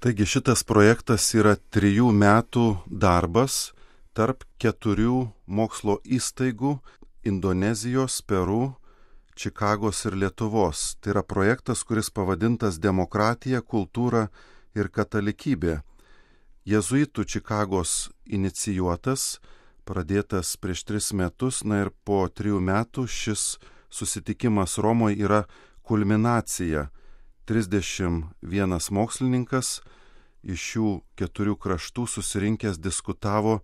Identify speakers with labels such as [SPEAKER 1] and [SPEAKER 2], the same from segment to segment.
[SPEAKER 1] Taigi šitas projektas yra 3 metų darbas tarp 4 mokslo įstaigų Indonezijos, Peru, Čikagos ir Lietuvos. Tai yra projektas, kuris pavadintas Demokratija, kultūra ir katalikybė. Jėzuitų Čikagos inicijuotas, pradėtas prieš 3 metus, ir po 3 metų šis susitikimas Romoje yra kulminacija. 31 mokslininkas iš šių 4 kraštų susirinkęs diskutavo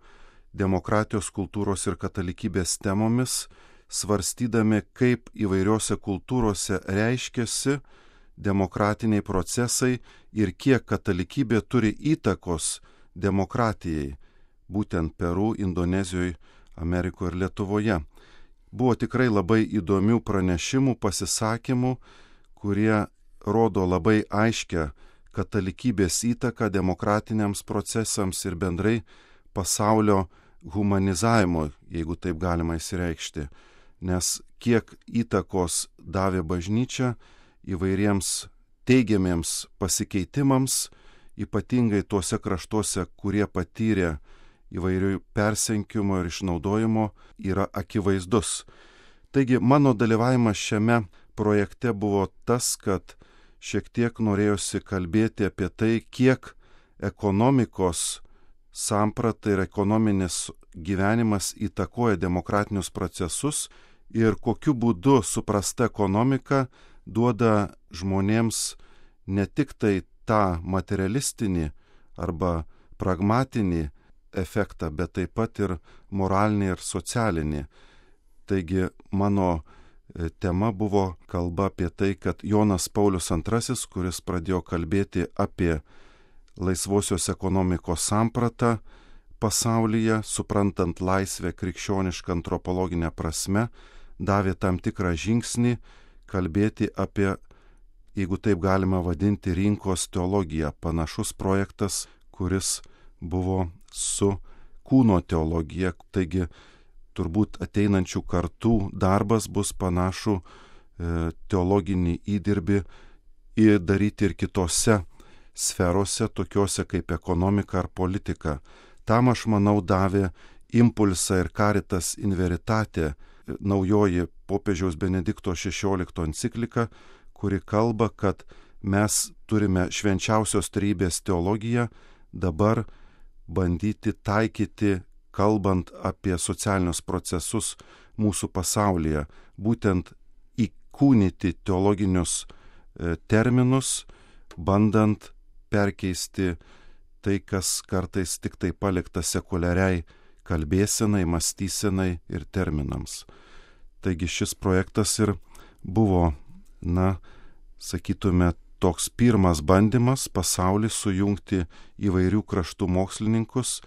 [SPEAKER 1] demokratijos, kultūros ir katalikybės temomis, svarstydami, kaip įvairiose kultūrose reiškiasi demokratiniai procesai ir kiek katalikybė turi įtakos demokratijai, būtent Peru, Indonezijoje, Amerikoje ir Lietuvoje. Buvo tikrai labai įdomių pranešimų, pasisakymų, kurie rodo labai aiškę katalikybės įtaką demokratiniams procesams ir bendrai pasaulio humanizavimo, jeigu taip galima išsireikšti. Nes kiek įtakos davė bažnyčia įvairiems teigiamiems pasikeitimams, ypatingai tuose kraštuose, kurie patyrė įvairių persenkimo ir išnaudojimo, yra akivaizdus. Taigi mano dalyvavimas šiame projekte buvo tas, kad šiek tiek norėjosi kalbėti apie tai, kiek ekonomikos samprata ir ekonominis gyvenimas įtakoja demokratinius procesus ir kokiu būdu suprasta ekonomika duoda žmonėms ne tik tai tą materialistinį arba pragmatinį efektą, bet taip pat ir moralinį ir socialinį. Taigi mano tema buvo kalba apie tai, kad Jonas Paulius II, kuris pradėjo kalbėti apie laisvosios ekonomikos sampratą pasaulyje, suprantant laisvę krikščionišką antropologinę prasme, davė tam tikrą žingsnį kalbėti apie, jeigu taip galima vadinti, rinkos teologiją. Panašus projektas, kuris buvo su kūno teologija. Taigi turbūt ateinančių kartų darbas bus panašų teologinį įdirbį daryti ir kitose sferose, tokiose kaip ekonomika ar politika. Tam, aš manau, davė impulsą ir Caritas in Veritate, naujoji popiežiaus Benedikto XVI enciklika, kuri kalba, kad mes turime švenčiausios trejybės teologiją dabar bandyti taikyti, kalbant apie socialinius procesus mūsų pasaulyje, būtent įkūnyti teologinius terminus, bandant perkeisti tai, kas kartais tik tai palikta sekuliariai kalbėsenai, mąstysenai ir terminams. Taigi šis projektas ir buvo, sakytume, toks pirmas bandymas pasaulį sujungti įvairių kraštų mokslininkus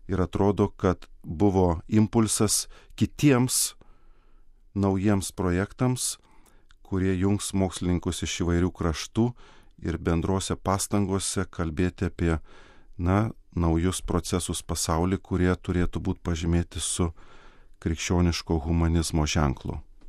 [SPEAKER 1] ir atrodo, kad buvo impulsas kitiems naujiems projektams, kurie jungs mokslininkus iš įvairių kraštų ir bendrose pastangose kalbėti apie naujus procesus pasauly, kurie turėtų būti pažymėti su krikščioniško humanizmo ženklu.